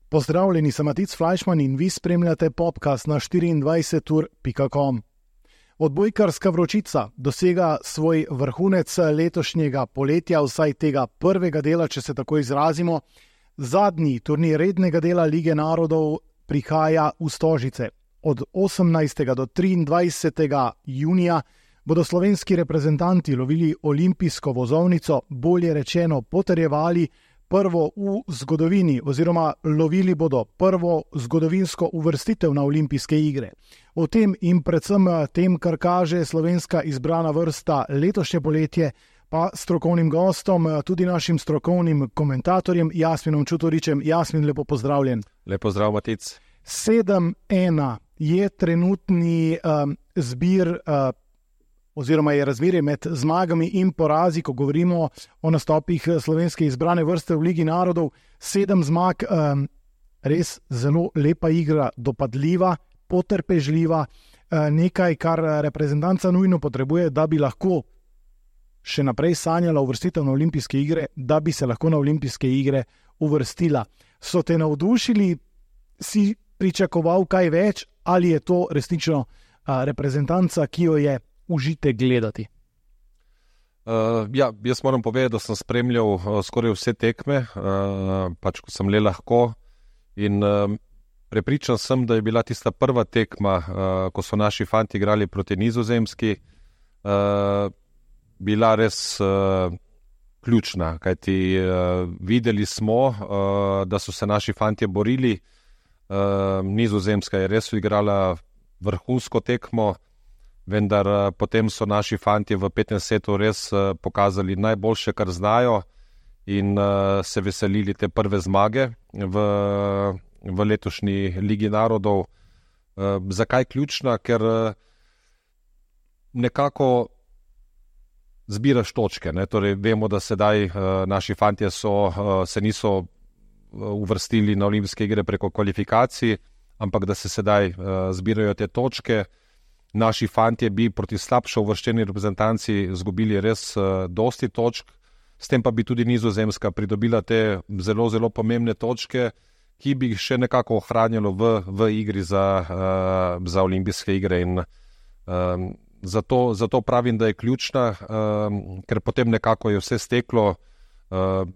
Pozdravljeni, sem Matic Fleischmann in vi spremljate podcast na 24ur.com. Odbojkarska vročica dosega svoj vrhunec letošnjega poletja, vsaj tega prvega dela, če se tako izrazimo. Zadnji turnir rednega dela Lige narodov prihaja v Stožice. Od 18. do 23. junija bodo slovenski reprezentanti lovili olimpijsko vozovnico, bolje rečeno potrjevali prvo v zgodovini oziroma lovili bodo prvo zgodovinsko uvrstitev na olimpijske igre. O tem in predvsem tem, kar kaže slovenska izbrana vrsta letošnje poletje, pa strokovnim gostom, tudi našim strokovnim komentatorjem Jasminom Čutoričem. Jasmin, lepo pozdravljen. Lepo zdrav, Matic. 7-1 je trenutni zbir oziroma je razmerje med zmagami in porazi, ko govorimo o nastopih slovenske izbrane vrste v Ligi narodov. 7 zmag, res zelo lepa igra, dopadljiva, potrpežljiva, nekaj, kar reprezentanca nujno potrebuje, da bi lahko še naprej sanjala uvrstitev na olimpijske igre, da bi se lahko na olimpijske igre uvrstila. So te navdušili, si pričakoval kaj več, ali je to resnično reprezentanca, ki jo je užitek gledati? Jaz moram povedati, da sem spremljal skoraj vse tekme, pač ko sem le lahko, in prepričan sem, da je bila tista prva tekma, ko so naši fanti igrali proti Nizozemski, bila res ključna, kajti videli smo, da so se naši fantje borili. Nizozemska je res igrala vrhunsko tekmo, vendar potem so naši fantje v 15 setu res pokazali najboljše, kar znajo, in se veselili te prve zmage v letošnji Ligi narodov. Zakaj ključna? Ker nekako zbiraš točke, ne? Torej, vemo, da sedaj naši fantje se niso uvrstili na olimpijske igre preko kvalifikacij, ampak da se sedaj zbirajo te točke. Naši fantje bi proti slabšo uvrščeni reprezentanci izgubili res dosti točk, s tem pa bi tudi Nizozemska pridobila te zelo, zelo pomembne točke, ki bi jih še nekako ohranjalo v igri za olimpijske igre. In zato pravim, da je ključna, ker potem nekako je vse steklo,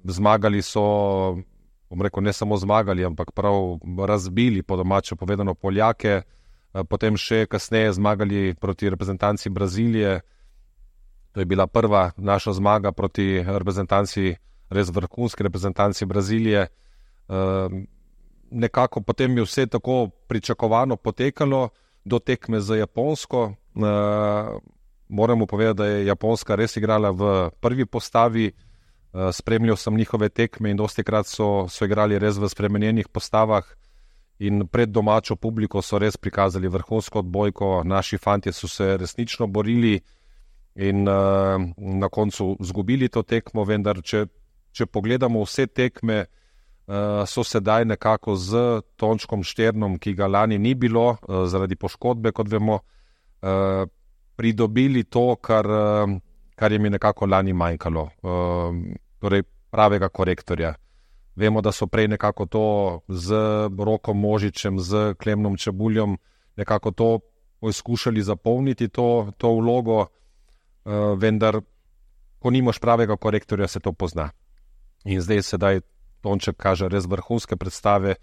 zmagali so, bom rekel, ne samo zmagali, ampak prav razbili, po domače povedano, Poljake, potem še kasneje zmagali proti reprezentanci Brazilije. To je bila prva naša zmaga proti reprezentanci, res vrhunski reprezentanci Brazilije. Nekako potem je vse tako pričakovano potekalo do tekme z Japonsko. Moramo povedati, da je Japonska res igrala v prvi postavi. Spremljal sem njihove tekme in dostikrat so igrali res v spremenjenih postavah in pred domačo publiko so res prikazali vrhunsko odbojko. Naši fantje so se resnično borili in na koncu izgubili to tekmo, vendar če pogledamo vse tekme, so sedaj nekako z Tončkom Šternom, ki ga lani ni bilo zaradi poškodbe, kot vemo, pridobili to, kar jim je nekako lani manjkalo, torej pravega korektorja. Vemo, da so prej nekako to z Rokom Možičem, z Klemnom Čebuljom nekako to poskušali zapolniti to vlogo, vendar ko nimaš pravega korektorja, se to pozna. In sedaj Tonček kaže res vrhunske predstave.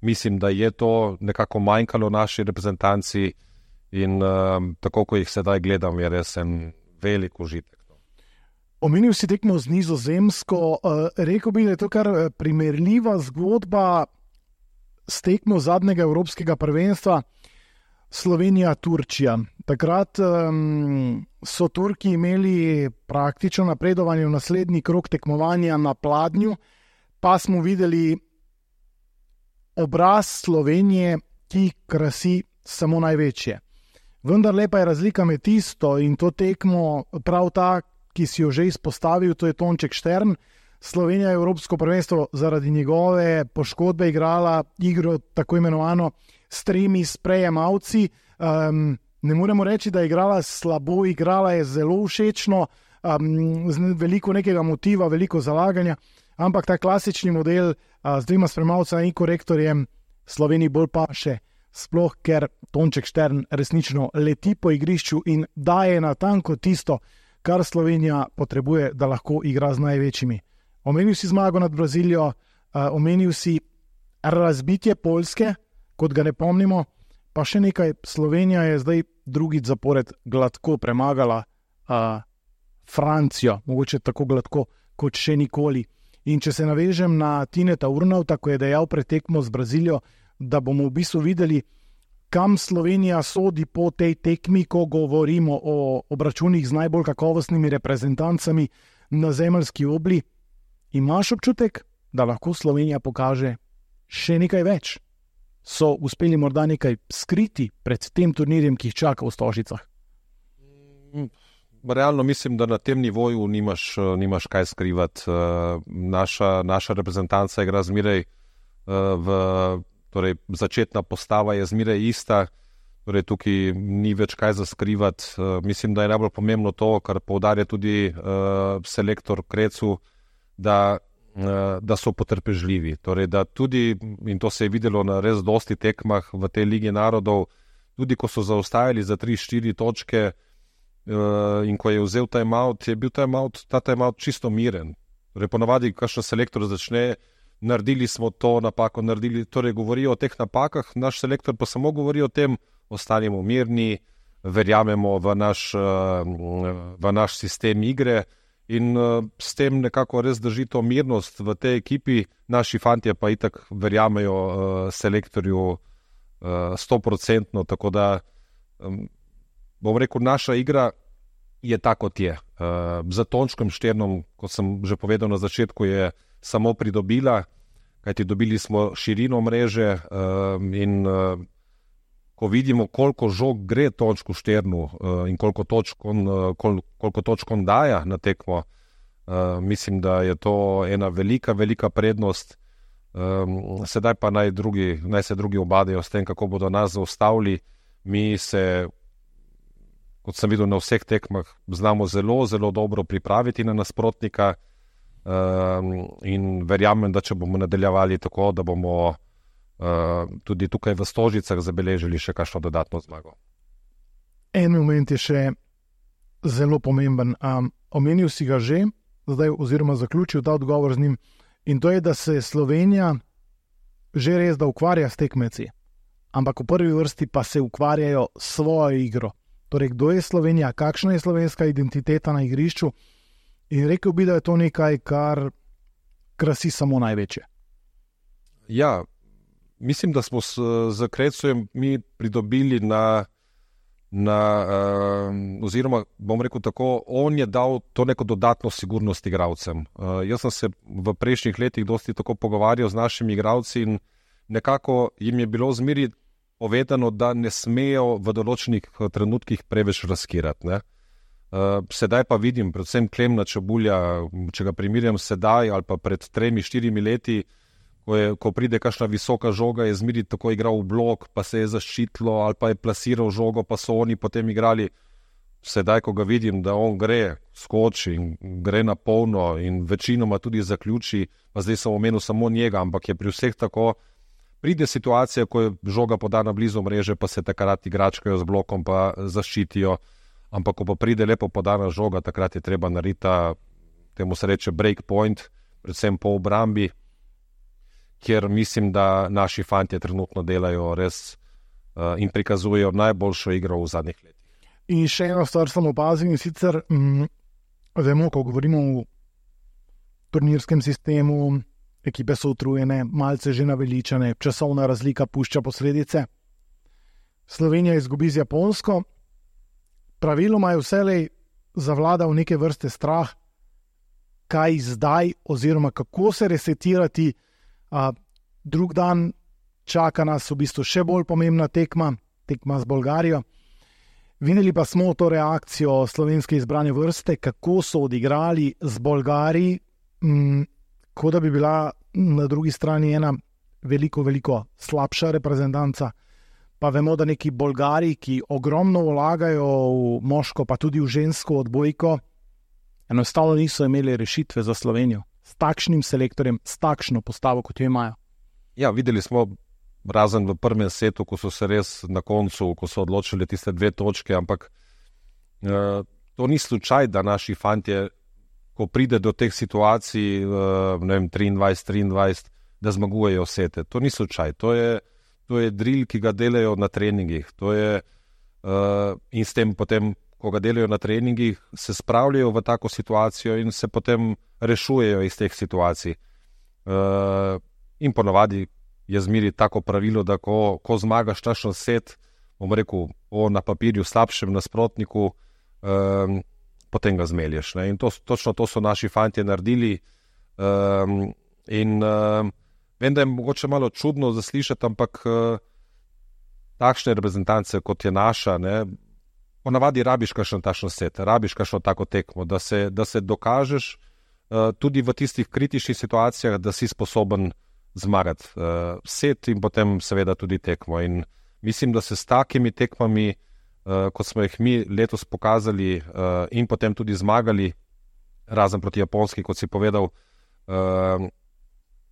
Mislim, da je to nekako manjkalo naši reprezentanci in tako, ko jih sedaj gledam, je res en velik užitek. Omenil si tekmo z Nizozemsko, rekel bi, da je to kar primerljiva zgodba s tekmo zadnjega evropskega prvenstva Slovenija-Turčija. Takrat so Turki imeli praktično napredovanje v naslednji krog tekmovanja na pladnju, pa smo videli obraz Slovenije, ki krasi samo največje. Vendar lepa je razlika med tisto in to tekmo, prav ta, ki si jo že izpostavil, to je Tonček Štern. Slovenija je evropsko prvenstvo zaradi njegove poškodbe igrala igro tako imenovano s 3 sprejemalci. Ne moremo reči, da je igrala slabo, igrala je zelo všečno, veliko nekega motiva, veliko zalaganja, ampak ta klasični model z dvema spremljevalcema in korektorjem Sloveniji bolj paše, sploh ker Tonček Štern resnično leti po igrišču in daje natanko tisto, kar Slovenija potrebuje, da lahko igra z največjimi. Omenil si zmago nad Brazilijo, omenil si razbitje Poljske, kot ga ne pomnimo, pa še nekaj, Slovenija je zdaj drugič zapored gladko premagala Francijo, mogoče tako gladko kot še nikoli. In če se navežem na Tineta Urnauta, ko je dejal pred tekmo z Brazilijo, da bomo v bistvu videli, kam Slovenija sodi po tej tekmi, ko govorimo o obračunih z najbolj kakovostnimi reprezentancami na zemeljski obli, imaš občutek, da lahko Slovenija pokaže še nekaj več? So uspeli morda nekaj skriti pred tem turnirjem, ki jih čaka v Stožicah? Realno mislim, da na tem nivoju nimaš kaj skrivati. Naša reprezentanca igra zmeraj torej začetna postava je zmeraj ista, torej tukaj ni več kaj za skrivati. Mislim, da je najbolj pomembno to, kar poudarja tudi selektor Krecu, da so potrpežljivi. Torej, da tudi, in to se je videlo na res dosti tekmah v tej Ligi narodov, tudi ko so zaostajali za 3-4 točke in ko je vzel timeout, je bil ta timeout čisto miren. Torej, ponavadi, kakšen selektor začne, naredili smo to napako, torej govorijo o teh napakah, naš selektor pa samo govori o tem, ostanemo mirni, verjamemo v naš sistem igre in s tem nekako res drži to mirnost v tej ekipi. Naši fantje pa itak verjamejo selektorju 100%, tako da bom rekel, naša igra je tako, kot je. Za Tončkom Šternom, kot sem že povedal na začetku, je samo pridobila, kajti dobili smo širino mreže in ko vidimo, koliko žog gre Tončku Šternu in koliko točk on daja na tekmo, mislim, da je to ena velika, velika prednost. Sedaj pa naj se drugi obadajo s tem, kako bodo nas zaustavili. Mi se, kot sem videl na vseh tekmah, znamo zelo, zelo dobro pripraviti na nasprotnika in verjamem, da če bomo nadaljevali tako, da bomo tudi tukaj v Stožicah zabeležili še kakšno dodatno zmago. En moment je še zelo pomemben. Omenil si ga že, zdaj oziroma zaključil ta odgovor z njim, in to je, da se Slovenija že res da ukvarja s tekmeci, ampak v prvi vrsti pa se ukvarjajo s svojo igro. Torej, kdo je Slovenija, kakšna je slovenska identiteta na igrišču, in rekel bi, da je to nekaj, kar krasi samo največje. Ja, mislim, da smo z Krecujem mi pridobili oziroma bom rekel tako, on je dal to neko dodatno sigurnost igralcem. Jaz sem se v prejšnjih letih dosti tako pogovarjal z našimi igralci in nekako jim je bilo zmeri povedano, da ne smejo v določenih trenutkih preveč riskirati, ne. Sedaj pa vidim, predvsem Klemna Čebulja, če ga primerjam sedaj ali pa pred 3-4 leti, ko pride kakšna visoka žoga, je zmeri tako igral v blok, pa se je zaščitilo ali pa je plasiral žogo, pa so oni potem igrali. Sedaj, ko ga vidim, da on gre, skoči in gre na polno in večinoma tudi zaključi, pa zdaj sem omenil samo njega, ampak je pri vseh tako, pride situacija, ko je žoga podana blizu mreže, pa se takrat igračkajo z blokom, pa zaščitijo. Ampak ko pa pride lepo podana žoga, takrat je treba narediti temu se reče break point, predvsem po obrambi, kjer mislim, da naši fantje trenutno delajo res in prikazujejo najboljšo igro v zadnjih letih. In še eno stvar sem opazil, in sicer vemo, ko govorimo o turnirskem sistemu, ekipe so utrujene, malce že naveličane, časovna razlika pušča posledice. Slovenija izgubi z Japonsko, praviloma je vselej zavladal neke vrste strah, kaj zdaj oziroma kako se resetirati. Drug dan čaka nas v bistvu še bolj pomembna tekma z Bolgarijo. Videli pa smo to reakcijo slovenske izbrane vrste, kako so odigrali z Bolgari, kot da bi bila na drugi strani ena veliko, veliko slabša reprezentanca. pa vemo, da neki Bolgari, ki ogromno vlagajo v moško, pa tudi v žensko odbojko, enostavno niso imeli rešitve za Slovenijo s takšnim selektorjem, s takšno postavo, kot jo imajo. Ja, videli smo, razen v prvem setu, ko so se res na koncu, ko so odločili tiste 2 točke, ampak to ni slučaj, da naši fantje, ko pride do teh situacij, ne vem, 23, da zmagujejo sete. To ni slučaj, to je drill, ki ga delajo na treningih. In s tem potem, ko ga delajo na treningih, se spravljajo v tako situacijo in se potem rešujejo iz teh situacij. In ponavadi je zmeri tako pravilo, da ko zmagaš takšen set, bom rekel, na papirju slabšem nasprotniku, potem ga zmelješ. Ne? In točno to so naši fantje naredili. Vem, da je mogoče malo čudno zaslišati, ampak takšne reprezentance, kot je naša, ne, ponavadi rabiš kakšen takšen set, rabiš kakšno tako tekmo, da se dokažeš tudi v tistih kritičnih situacijah, da si sposoben zmagati set in potem seveda tudi tekmo. In mislim, da se s takimi tekmami, kot smo jih mi letos pokazali in potem tudi zmagali, razen proti Japonski, kot si povedal,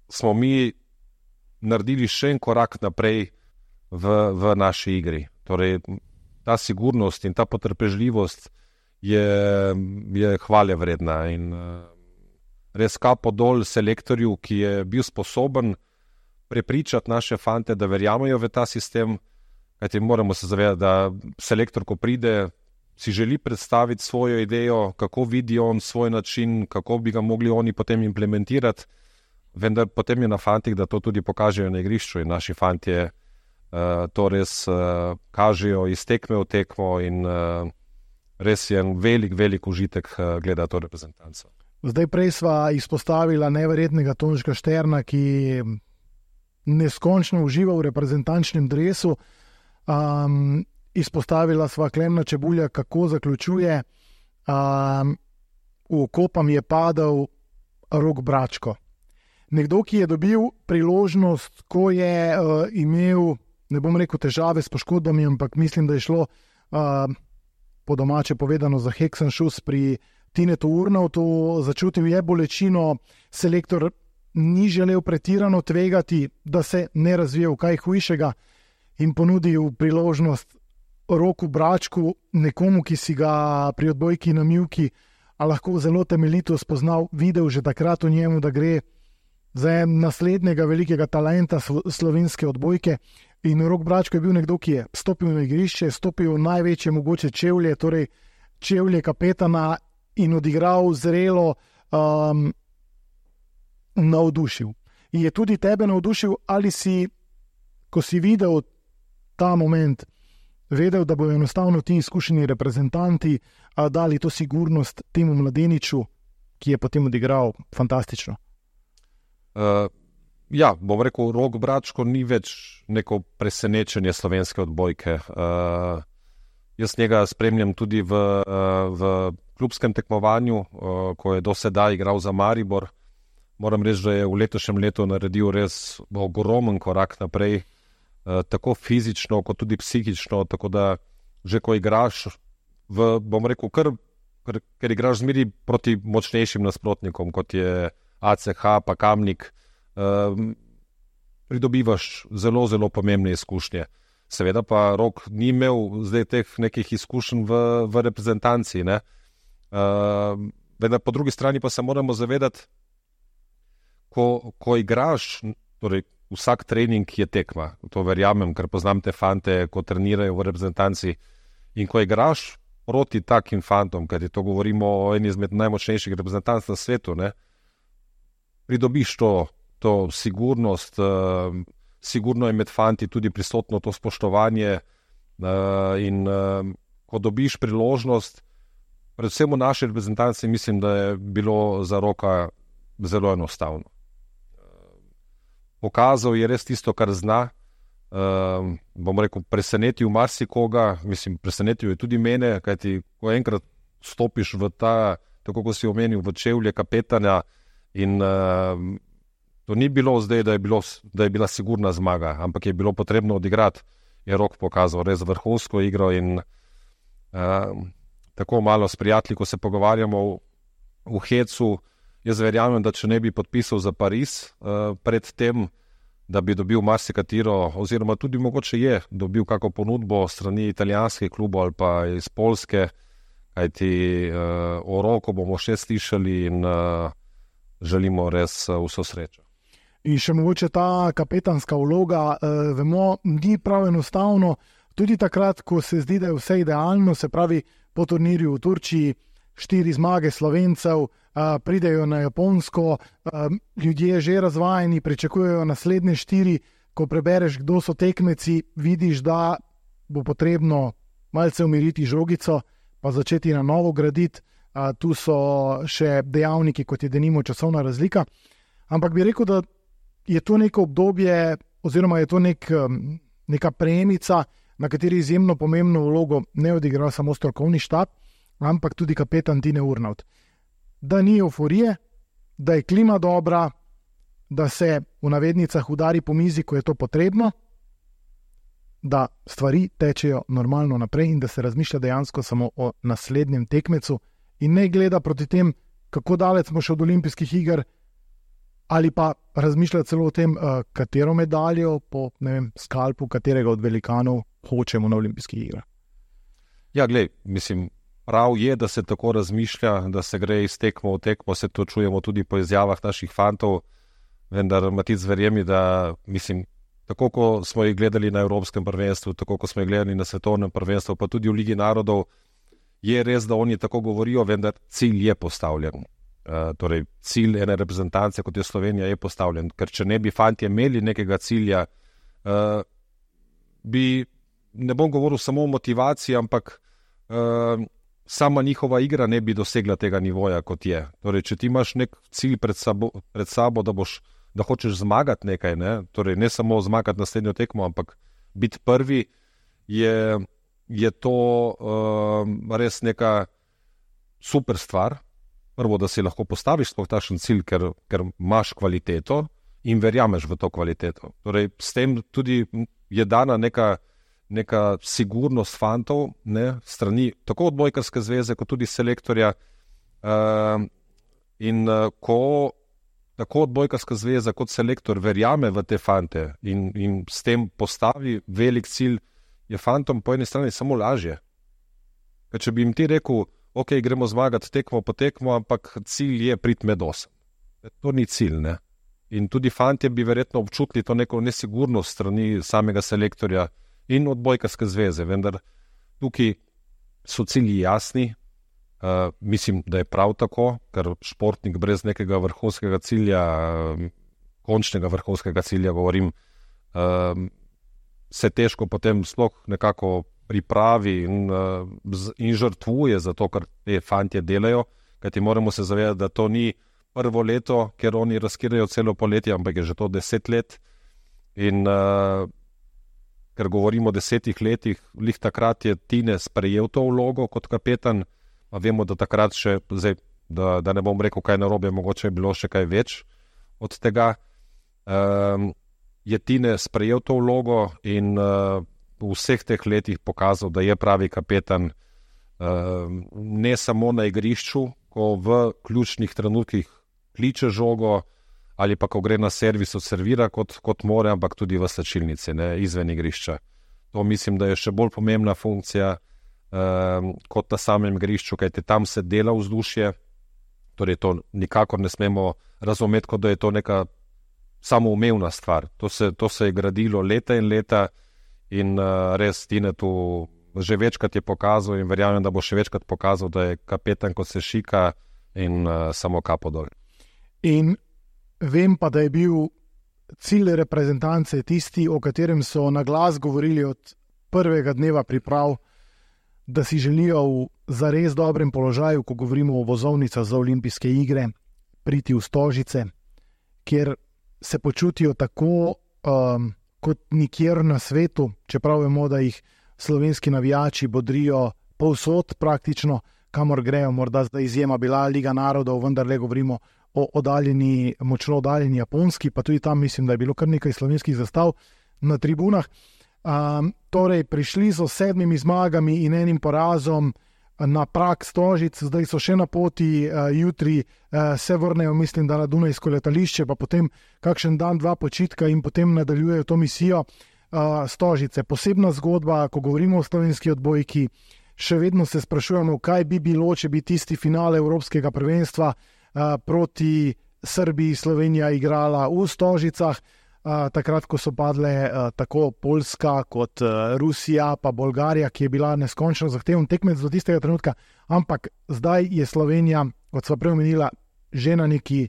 smo mi naredili še en korak naprej v naši igri. Torej, ta sigurnost in ta potrpežljivost je hvale vredna in res kapo dol selektorju, ki je bil sposoben prepričati naše fante, da verjamejo v ta sistem, kajti moramo se zavedati, da selektor, ko pride, si želi predstaviti svojo idejo, kako vidi on svoj način, kako bi ga mogli oni potem implementirati, vendar potem je na fantih, da to tudi pokažejo na igrišču in naši fantje to res kažejo iz tekme v tekmo in res je en velik užitek gledati to reprezentanco. Zdaj prej sva izpostavila neverjetnega Tončka Šterna, ki neskončno uživa v reprezentančnem dresu. Izpostavila sva Klemna Čebulja, kako zaključuje. V oko pa mi je padel Rok Bračko. Nekdo, ki je dobil priložnost, ko je imel, ne bom rekel težave s poškodbami, ampak mislim, da je šlo po domače povedano za Heksenšus pri Tinetu Urnautu, začutil je bolečino, selektor ni želel pretirano tvegati, da se ne razvije v kaj hujšega in ponudil priložnost Roku Bračku, nekomu, ki si ga pri odbojki na mivki lahko zelo temeljito spoznal, videl že takrat v njemu, da gre za naslednjega velikega talenta slovenske odbojke. In Rok Bračko je bil nekdo, ki je stopil na igrišče, stopil v največje mogoče čevlje, torej čevlje kapetana in odigral zrelo, navdušil. In je tudi tebe navdušil, ali si, ko si videl ta moment, vedel, da bodo enostavno ti izkušeni reprezentanti dali to sigurnost temu mladeniču, ki je potem odigral fantastično? Ja, bom rekel, Rok Bračko ni več neko presenečenje slovenske odbojke. Jaz njega spremljam tudi v klubskem tekmovanju, ko je do sedaj igral za Maribor. Moram reči, da je v letošnjem letu naredil res ogromen korak naprej, tako fizično, kot tudi psihično, tako da že ko igraš, bom rekel, ker igraš zmeri proti močnejšim nasprotnikom, kot je ACH pa Kamnik, pridobivaš zelo pomembne izkušnje. Seveda pa Rok ni imel zdaj teh nekih izkušenj v reprezentanci, ne. Vendar po drugi strani pa se moramo zavedati, ko igraš, torej vsak trening je tekma, to verjamem, ker poznam te fante, ko trenirajo v reprezentanci, in ko igraš proti takim fantom, kajti to govorimo o eni izmed najmočnejših reprezentanc na svetu, ne, pridobiš to sigurnost, sigurno je med fanti tudi prisotno to spoštovanje in ko dobiš priložnost, predvsem v naši reprezentanci, mislim, da je bilo za Roka zelo enostavno. Pokazal je res tisto, kar zna, bom rekel, presenetil marsikoga, mislim, presenetil je tudi mene, kajti ko enkrat stopiš v ta, tako kot si omenil, v čevlje kapetana in to ni bilo zdaj, da je bila sigurna zmaga, ampak je bilo potrebno odigrati. je Rok pokazal res vrhunsko igro in tako malo s prijatelji, ko se pogovarjamo v hecu, jaz verjamem, da če ne bi podpisal za Pariz pred tem, da bi dobil marsikatero, oziroma tudi mogoče je dobil kako ponudbo strani italijanskih klubov ali pa iz Poljske, kajti o Roku bomo še slišali in želimo res vso srečo. In še mogoče ta kapetanska vloga, vemo, ni prav enostavno, tudi takrat, ko se zdi, da je vse idealno, se pravi po turnirju v Turčiji, 4 zmage Slovencev, pridejo na Japonsko, ljudje že razvajeni, pričakujejo naslednje 4, ko prebereš, kdo so tekmeci, vidiš, da bo potrebno malce umiriti žogico, pa začeti na novo graditi. Tu so še dejavniki, kot je denimo časovna razlika. Ampak bi rekel, da je to neko obdobje, oziroma je to neka premica, na kateri izjemno pomembno vlogo ne odigra samo strokovni štab, ampak tudi kapetan Tine Urnavt. Da ni euforije, da je klima dobra, da se v navednicah udari po mizi, ko je to potrebno, da stvari tečejo normalno naprej in da se razmišlja dejansko samo o naslednjem tekmecu in ne gleda proti tem, kako daleč smo še od olimpijskih iger, ali pa razmišlja celo o tem, katero medaljo po skalpu katerega od velikanov hočemo na olimpijskih igrah. Ja, glej, mislim, prav je, da se tako razmišlja, da se gre iz tekmo v tekmo, se to čujemo tudi po izjavah naših fantov, vendar Matic verjemi, da mislim, tako ko smo jih gledali na Evropskem prvenstvu, tako ko smo jih gledali na Svetovnem prvenstvu, pa tudi v Ligi narodov, je res, da oni tako govorijo, vendar cilj je postavljen. Torej, cilj ene reprezentance, kot je Slovenija, je postavljen. Ker če ne bi fantje imeli nekega cilja, ne bom govoril samo o motivaciji, ampak sama njihova igra ne bi dosegla tega nivoja, kot je. Torej, če ti imaš nek cilj pred sabo da hočeš zmagati nekaj, torej ne samo zmagati naslednjo tekmo, ampak biti prvi, je to res neka super stvar. Prvo, da si lahko postaviš sploh takšen cilj, ker imaš kvaliteto in verjameš v to kvaliteto. Torej, s tem tudi je dana neka sigurnost fantov, strani tako odbojkarske zveze, kot tudi selektorja. In ko tako odbojkarska zveza kot selektor verjame v te fante in s tem postavi velik cilj, je fantom po eni strani samo lažje. Ker če bi jim ti rekel, ok, gremo zmagati tekmo po tekmo, ampak cilj je priti med 8. To ni cilj, In tudi fantje bi verjetno občutili to neko nesigurnost strani samega selektorja in odbojkarske zveze, vendar tukaj so cilji jasni. Mislim, da je prav tako, ker športnik brez nekega vrhunskega cilja, končnega vrhunskega cilja govorim, se težko potem sploh nekako pripravi in žrtvuje za to, kar te fantje delajo, kajti moramo se zavedati, da to ni prvo leto, ker oni razkirajo celo poletje, ampak je že to 10 let. In ker govorimo o 10 letih, lih takrat je Tine sprejel to vlogo kot kapetan, pa vemo, da takrat še, zdaj, da ne bom rekel kaj narobe, mogoče je bilo še kaj več od tega, je Tine sprejel to vlogo in v vseh teh letih pokazal, da je pravi kapetan, ne samo na igrišču, ko v ključnih trenutkih kliče žogo ali pa ko gre na servis odservira kot more, ampak tudi v slačilnici, izven igrišča. To mislim, da je še bolj pomembna funkcija kot na samem igrišču, kajte tam se dela vzdušje, torej to nikakor ne smemo razumeti, kot da je to neka samoumevna stvar. To se je gradilo leta in leta in res Tine tu že večkrat je pokazal in verjamem, da bo še večkrat pokazal, da je kapetan, kot se šika in samo kapo dol. In vem pa, da je bil cilj reprezentance tisti, o katerem so na glas govorili od prvega dneva priprav, da si želijo v zares dobrem položaju, ko govorimo o vozovnicah za olimpijske igre, priti v Stožice, kjer se počutijo tako kot nikjer na svetu, čeprav vemo, da jih slovenski navijači bodrijo povsod praktično, kamor grejo, morda zdaj izjema bila Liga narodov, vendar le govorimo o močno oddaljeni Japonski, pa tudi tam mislim, da je bilo kar nekaj slovenskih zastav na tribunah. Torej, prišli so 7 zmagami in 1 porazom na prag Stožic, zdaj so še na poti, jutri se vrnejo, mislim, da na Dunajsko letališče, pa potem kakšen dan, 2 počitka in potem nadaljujejo to misijo. Stožice, posebna zgodba, ko govorimo o slovenski odbojki, še vedno se sprašujemo, kaj bi bilo, če bi tisti finale Evropskega prvenstva proti Srbiji Slovenija igrala v Stožicah, takrat, ko so padle tako Poljska kot Rusija, pa Bolgarija, ki je bila neskončno zahteven tekmec do tistega trenutka, ampak zdaj je Slovenija, kot sva prej omenila, že na neki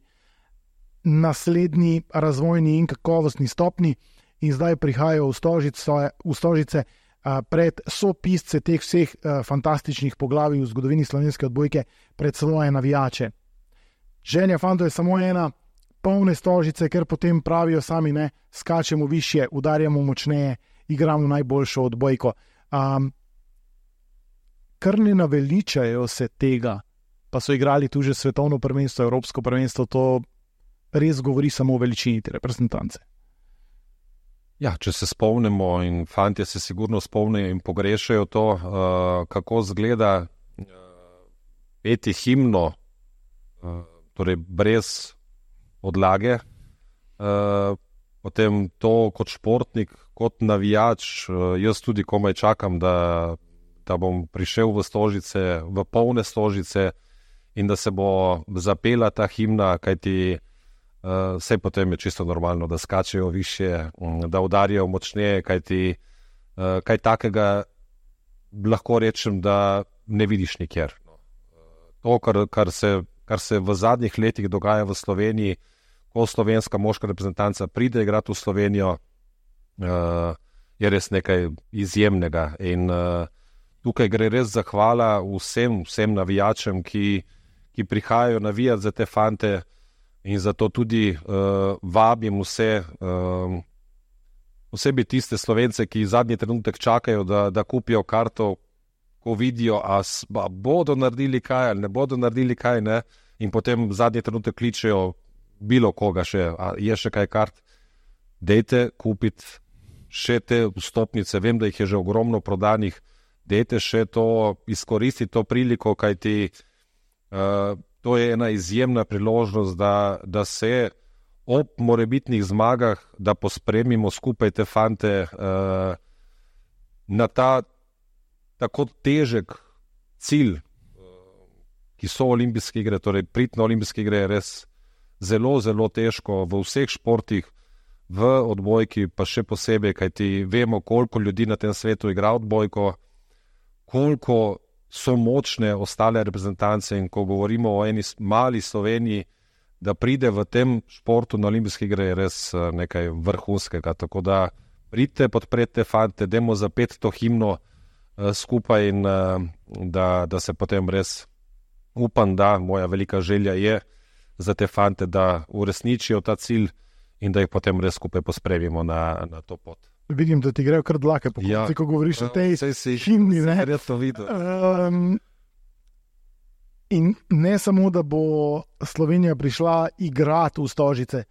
naslednji razvojni in kakovostni stopni in zdaj prihajajo v Stožice pred sopisce teh vseh fantastičnih poglavij v zgodovini slovenske odbojke, pred svoje navijače. Želja fantov je samo ena, polne Stožice, ker potem pravijo sami, ne, skačemo višje, udarjamo močneje, igramo najboljšo odbojko. Kar ne naveličajo se tega, pa so igrali tu že svetovno prvenstvo, evropsko prvenstvo, to res govori samo o veličini te reprezentance. Ja, če se spomnimo, in fantje se sigurno spomnijo in pogrešajo to, kako zgleda peti himno, torej brez odlage, potem to kot športnik, kot navijač, jaz tudi komaj čakam, da bom prišel v Stožice, v polne Stožice in da se bo zapela ta himna, kajti vse potem je čisto normalno, da skačejo višje, da udarijo močneje, kajti kaj takega lahko rečem, da ne vidiš nikjer. To, kar se v zadnjih letih dogaja v Sloveniji, ko slovenska moška reprezentanca pride igrati v Slovenijo, je res nekaj izjemnega. In tukaj gre res zahvala vsem navijačem, ki prihajajo navijati za te fante, in zato tudi vabim vse, posebej tiste Slovence, ki zadnji trenutek čakajo, da kupijo karto, ko vidijo, a bodo naredili kaj ali ne bodo naredili kaj, ne? In potem zadnji trenutek kličejo bilo koga še, a je še kaj kart, dejte kupiti še te vstopnice, vem, da jih je že ogromno prodanih, dejte še to, izkoristiti to priliko, kajti to je ena izjemna priložnost, da se ob morebitnih zmagah, da pospremimo skupaj te fante na ta tako težek cilj, ki so olimpijske igre, torej priti na olimpijske igre je res zelo, zelo težko v vseh športih, v odbojki pa še posebej, kajti vemo, koliko ljudi na tem svetu igra odbojko, koliko so močne ostale reprezentance, in ko govorimo o eni mali Sloveniji, da pride v tem športu na olimpijske igre, je res nekaj vrhunskega. Tako da pridite, podprete fante, dajmo zapeti to himno skupaj in da se potem res upam, da moja velika želja je za te fante, da uresničijo ta cilj in da jih potem res skupaj pospremimo na to pot. Vidim, da ti grejo kar dlake po konci, ko govoriš o tej himni. In ne samo, da bo Slovenija prišla igrati v Stožice.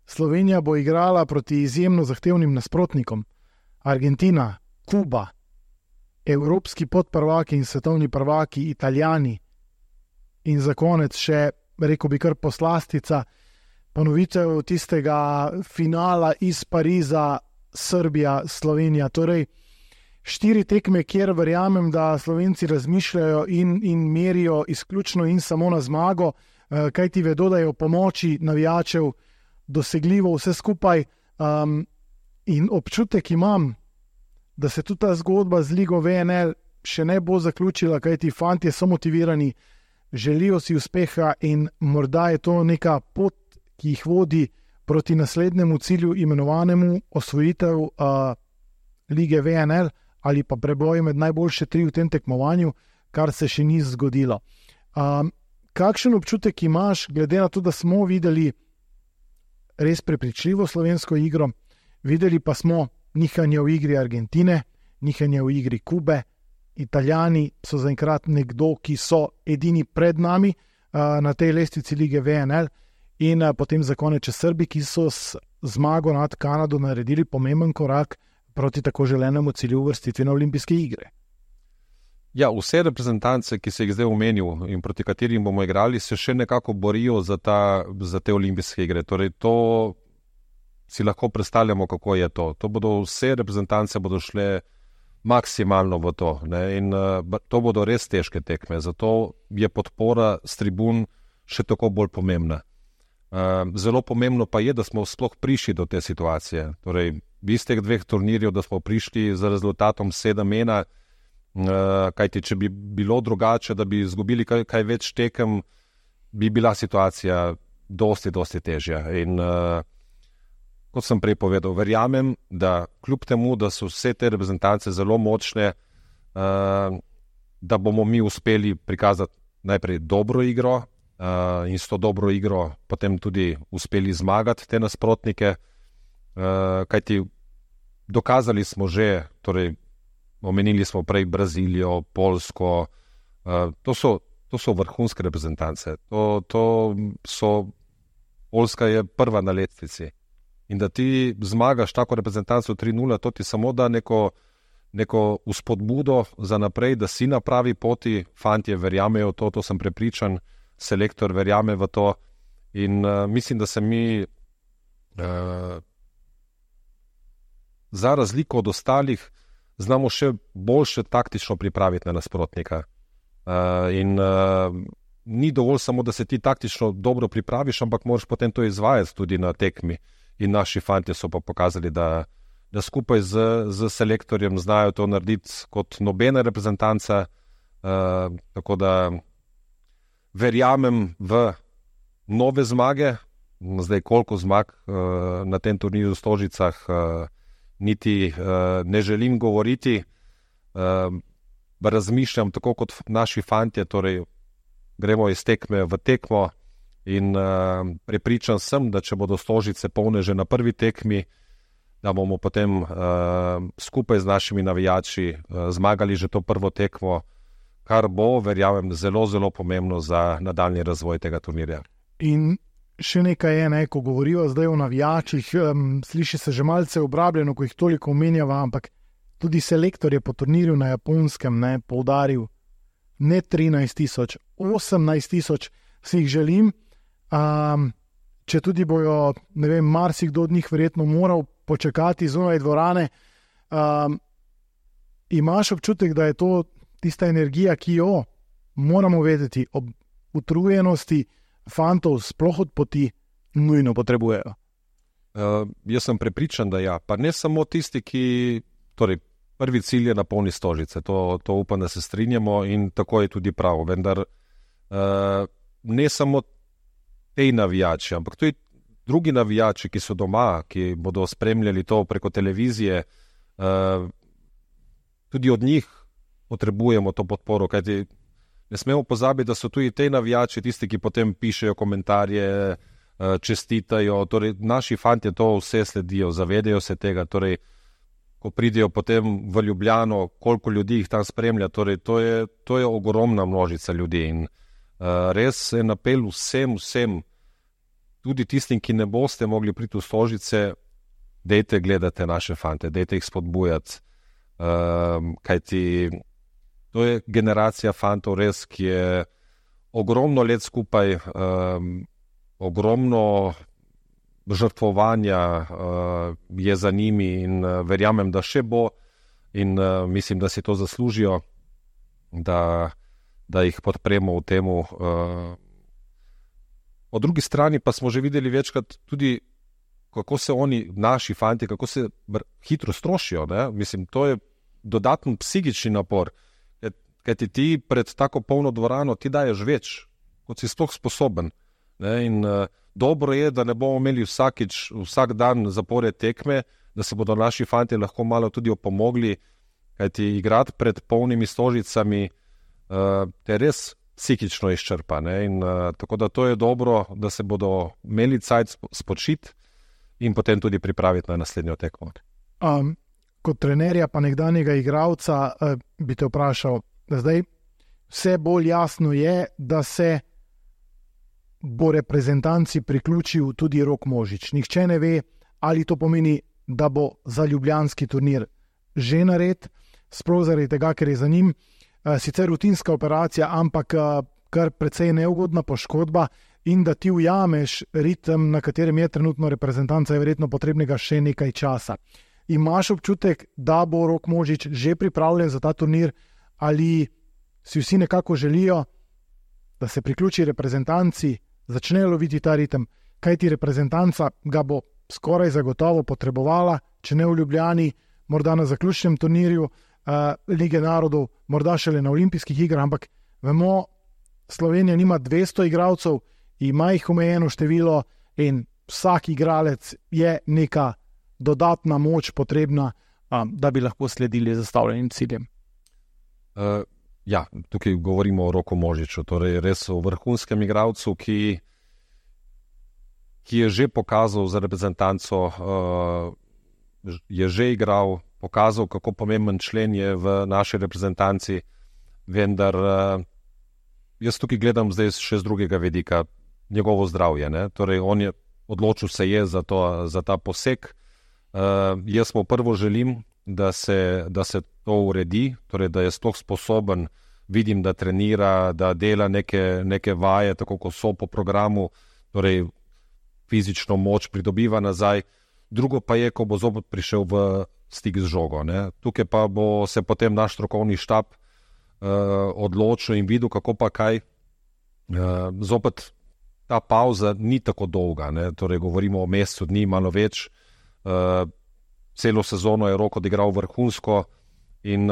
Slovenija bo igrala proti izjemno zahtevnim nasprotnikom. Argentina, Kuba, evropski podprvaki in svetovni prvaki Italijani. In za konec še, rekel bi kar poslastica, ponovitev tistega finala iz Pariza, Srbija, Slovenija. Torej, 4 tekme, kjer verjamem, da Slovenci razmišljajo in merijo izključno in samo na zmago, kajti vedo, da je v pomoči navijačev dosegljivo vse skupaj. In občutek imam, da se tudi ta zgodba z Ligo VNL še ne bo zaključila, kajti fantje so motivirani, želijo si uspeha in morda je to neka pot, ki jih vodi proti naslednjemu cilju, imenovanemu osvojitev Lige VNL ali pa preboj med najboljše 3 v tem tekmovanju, kar se še ni zgodilo. Kakšen občutek imaš, glede na to, da smo videli res prepričljivo slovensko igro, videli pa smo nihanje v igri Argentine, nihanje v igri Kube, Italijani so zaenkrat nekdo, ki so edini pred nami na tej lestvici Lige VNL, in potem za konec Srbi, ki so z zmago nad Kanado naredili pomemben korak proti tako želenemu cilju uvrstitvi na olimpijske igre. Ja, vse reprezentance, ki se jih zdaj omenil in proti katerim bomo igrali, se še nekako borijo za te olimpijske igre. Torej, to si lahko predstavljamo, kako je to. Vse reprezentance bodo šle maksimalno v to, ne? In to bodo res težke tekme. Zato je podpora s tribun še tako bolj pomembna. Zelo pomembno pa je, da smo sploh prišli do te situacije. Torej, iz teh dveh turnirjev, da smo prišli z rezultatom 7-1, kajti če bi bilo drugače, da bi izgubili kaj več tekem, bi bila situacija dosti težja. In kot sem prej povedal, verjamem, da kljub temu, da so vse te reprezentance zelo močne, da bomo mi uspeli prikazati najprej dobro igro in s to dobro igro potem tudi uspeli zmagati te nasprotnike, kajti dokazali smo že, torej omenili smo prej Brazilijo, Poljsko, to so vrhunske reprezentance. Poljska je prva na lestvici. In da ti zmagaš tako reprezentanco 3-0, to ti samo da neko vzpodbudo za naprej, da si na pravi poti, fantje verjamejo v to sem prepričan, selektor verjame v to in mislim, da se mi za razliko od ostalih znamo še boljše taktično pripraviti na nasprotnika. Ni dovolj samo, da se ti taktično dobro pripraviš, ampak moraš potem to izvajati tudi na tekmi. In naši fantje so pa pokazali, da skupaj z selektorjem znajo to narediti kot nobena reprezentanca. Tako da verjamem v nove zmage. Zdaj, koliko zmag na tem turnirju v Stožicah, niti ne želim govoriti. Razmišljam tako kot naši fantje, torej gremo iz tekme v tekmo in prepričan sem, da če bodo Stožice polne že na prvi tekmi, da bomo potem skupaj z našimi navijači zmagali že to prvo tekmo, kar bo, verjamem, zelo pomembno za nadaljni razvoj tega turnirja. In še nekaj je, ko govorijo zdaj o navijačih, sliši se že malce obrabljeno, ko jih toliko omenjava, ampak tudi selektor je po turnirju na Japonskem poudaril, ne 13 000, 18 000 si jih želim, če tudi bojo, ne vem, marsikdo od njih verjetno moral počakati zunaj dvorane. Imaš občutek, da je to tista energija, ki jo moramo vedeti ob utrujenosti fantov sploh od poti nujno potrebujejo? Jaz sem prepričan, da ja. Pa ne samo tisti, ki, torej prvi cilj je napolniti Stožice, to upam, da se strinjamo in tako je tudi prav. Vendar ne samo tej navijači, ampak tudi drugi navijači, ki so doma, ki bodo spremljali to preko televizije, tudi od njih potrebujemo to podporo, kajti ne smemo pozabiti, da so tudi tej navijači tisti, ki potem pišejo komentarje, čestitajo, torej naši fantje to vse sledijo, zavedajo se tega, torej ko pridejo potem v Ljubljano, koliko ljudi jih tam spremlja, torej to je ogromna množica ljudi in res en apel vsem, tudi tistim, ki ne boste mogli priti v Stožice, dejte gledati naše fante, dejte jih spodbujati, kajti to je generacija fantov res, ki je ogromno let skupaj, ogromno žrtvovanja je za njimi in verjamem, da še bo in mislim, da si to zaslužijo, da jih podpremo v temu. Po drugi strani pa smo že videli večkrat tudi, kako se oni, naši fanti, kako se hitro strošijo. Ne? Mislim, to je dodaten psihični napor, kajti ti pred tako polno dvorano ti daješ več, kot si sploh sposoben. Ne? In dobro je, da ne bomo imeli vsak dan zapored tekme, da se bodo naši fanti lahko malo tudi opomogli, kajti igrati pred polnimi Stožicami te res psihično izčrpa. Ne? In tako da to je dobro, da se bodo imeli cajt spočiti in potem tudi pripraviti na naslednjo tekmo. Kot trenerja pa nekdanjega igralca bi te vprašal, da zdaj vse bolj jasno je, da se bo reprezentanci priključil tudi Rok Možič. Nihče ne ve, ali to pomeni da bo za ljubljanski turnir že nared, sploh zaradi tega, ker je za njim sicer rutinska operacija, ampak kar precej neugodna poškodba in da ti ujameš ritem, na katerem je trenutno reprezentanca, je verjetno potrebnega še nekaj časa. Imaš občutek, da bo Rok Možič že pripravljen za ta turnir ali si vsi nekako želijo, da se priključi reprezentanci, začne loviti ta ritem, kajti reprezentanca ga bo skoraj zagotovo potrebovala, če ne v Ljubljani, morda na zaključnem turnirju Lige narodov, morda šele na olimpijskih igrah, ampak vemo, Slovenija nima 200 igralcev, ima jih omejeno število in vsak igralec je neka dodatna moč potrebna, da bi lahko sledili zastavljenim ciljem. Ja, tukaj govorimo o Roku Možiču, torej res o vrhunskem igralcu, ki je že pokazal za reprezentanco, je že igral, pokazal, kako pomemben člen je v naši reprezentanci, vendar jaz tukaj gledam zdaj še z drugega vidika, njegovo zdravje. Ne? Torej, on je odločil se je za ta poseg. Jaz mu prvo želim, da se to uredi, torej, da je sploh sposoben, vidim, da trenira, da dela neke vaje, tako kot so po programu, torej fizično moč pridobiva nazaj. Drugo pa je, ko bo zopet prišel v stik z žogo. Ne? Tukaj pa bo se potem naš strokovni štab odločil in videl, kako pa kaj. Zopet ta pauza ni tako dolga, ne? Torej govorimo o mesecu dni, malo več. Celo sezono je Rok odigral vrhunsko in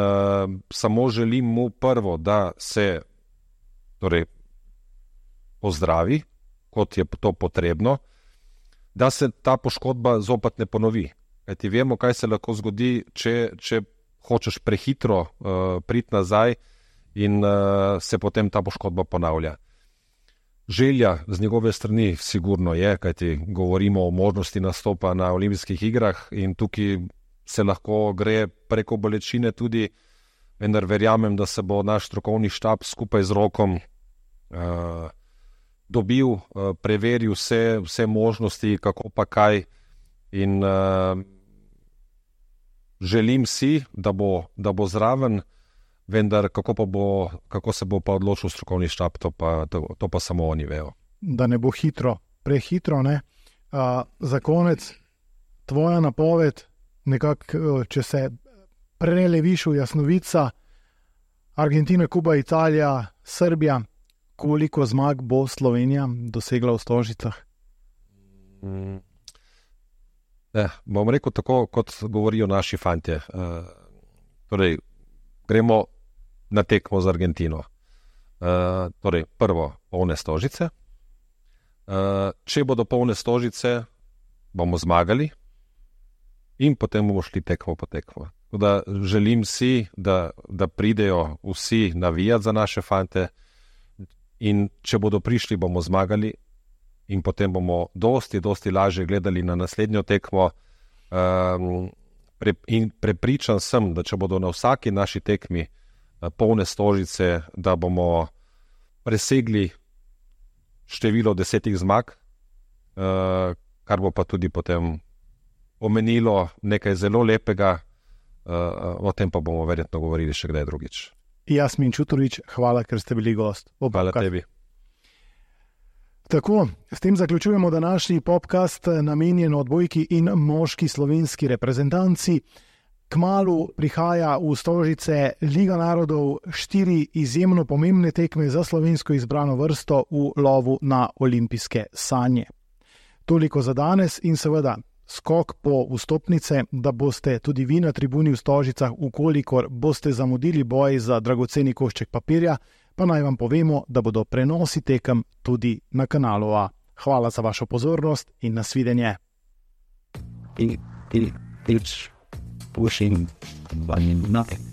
samo želim mu prvo, da se torej pozdravi, kot je to potrebno, da se ta poškodba zopet ne ponovi. Kajti vemo, kaj se lahko zgodi, če hočeš prehitro priti nazaj in se potem ta poškodba ponavlja. Želja z njegove strani sigurno je, kajti govorimo o možnosti nastopa na olimpijskih igrah in tukaj se lahko gre preko bolečine tudi, vendar verjamem, da se bo naš strokovni štab skupaj z Rokom dobil, preveril vse možnosti, kako pa kaj in želim si, da bo zraven, vendar kako se bo pa odločil strokovni štab, to pa samo oni vejo. Da ne bo prehitro, ne? Za konec, tvoja napoved, nekako, če se preleviš v jasnovica, Argentina, Kuba, Italija, Srbija, koliko zmag bo Slovenija dosegla v Stožicah? Bom rekel tako, kot govorijo naši fantje. Torej, gremo na tekmo z Argentino. Torej, prvo, polne Stožice. Če bodo polne Stožice, bomo zmagali in potem bomo šli tekmo po tekmo. Da želim si, da pridejo vsi navijati za naše fante in če bodo prišli, bomo zmagali in potem bomo dosti lažje gledali na naslednjo tekmo. In prepričan sem, da če bodo na vsaki naši tekmi polne Stožice, da bomo presegli število 10 zmag, kar bo pa tudi potem pomenilo nekaj zelo lepega, o tem pa bomo verjetno govorili še kdaj drugič. Jasmin Čutorič, hvala, ker ste bili gost. Hvala tebi. Tako, s tem zaključujemo današnji podcast namenjen odbojki in moški slovenski reprezentanci. Kmalu prihaja v Stožice Liga narodov, 4 izjemno pomembne tekme za slovensko izbrano vrsto v lovu na olimpijske sanje. Toliko za danes in seveda skok po vstopnice, da boste tudi vi na tribuni v Stožicah, ukolikor boste zamudili boj za dragoceni košček papirja, pa naj vam povemo, da bodo prenosi tekem tudi na kanalu A. Hvala za vašo pozornost in nasvidenje. Pushing, but nothing.